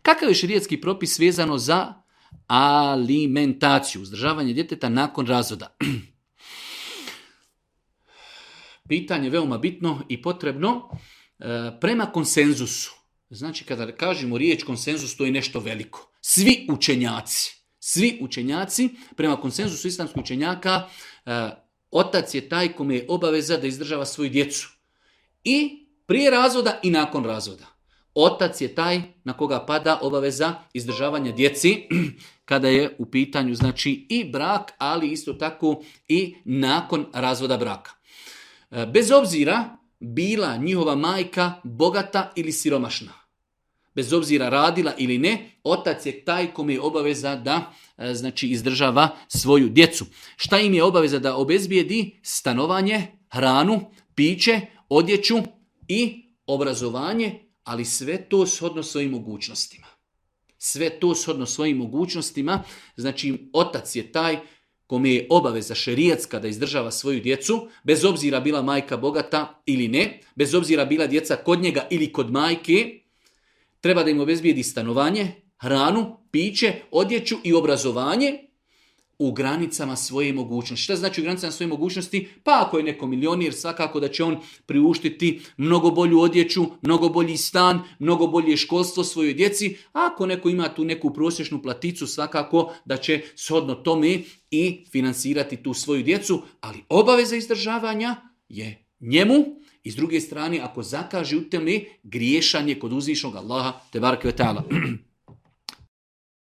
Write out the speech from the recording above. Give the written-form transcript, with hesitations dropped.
Kakav je šerijatski propis vezano za alimentaciju, uzdržavanje djeteta nakon razvoda? Pitanje veoma bitno i potrebno. Prema konsenzusu, znači kada kažemo riječ konsenzus, to je nešto veliko. Svi učenjaci, prema konsenzusu islamskih učenjaka, otac je taj kome je obaveza da izdržava svoju djecu. I prije razvoda i nakon razvoda. Otac je taj na koga pada obaveza izdržavanja djeci kada je u pitanju znači i brak, ali isto tako i nakon razvoda braka. Bez obzira bila njihova majka bogata ili siromašna, bez obzira radila ili ne, otac je taj kome je obaveza da znači izdržava svoju djecu. Šta im je obaveza? Da obezbijedi stanovanje, hranu, piće, odjeću i obrazovanje, ali sve to shodno svojim mogućnostima. Znači otac je taj kome je obaveza šerijatska da izdržava svoju djecu, bez obzira bila majka bogata ili ne, bez obzira bila djeca kod njega ili kod majke, treba da im obezbijedi stanovanje, hranu, piće, odjeću i obrazovanje u granicama svoje mogućnosti. Šta znači u granicama svoje mogućnosti? Pa ako je neko milionir, svakako da će on priuštiti mnogo bolju odjeću, mnogo bolji stan, mnogo bolje školstvo svojoj djeci. A ako neko ima tu neku prosječnu platicu, svakako da će shodno tome i financirati tu svoju djecu, ali obaveza izdržavanja je njemu. I s druge strane, ako zakaže u tome, griješan je kod uzvišnog Allaha tebareke ve taala.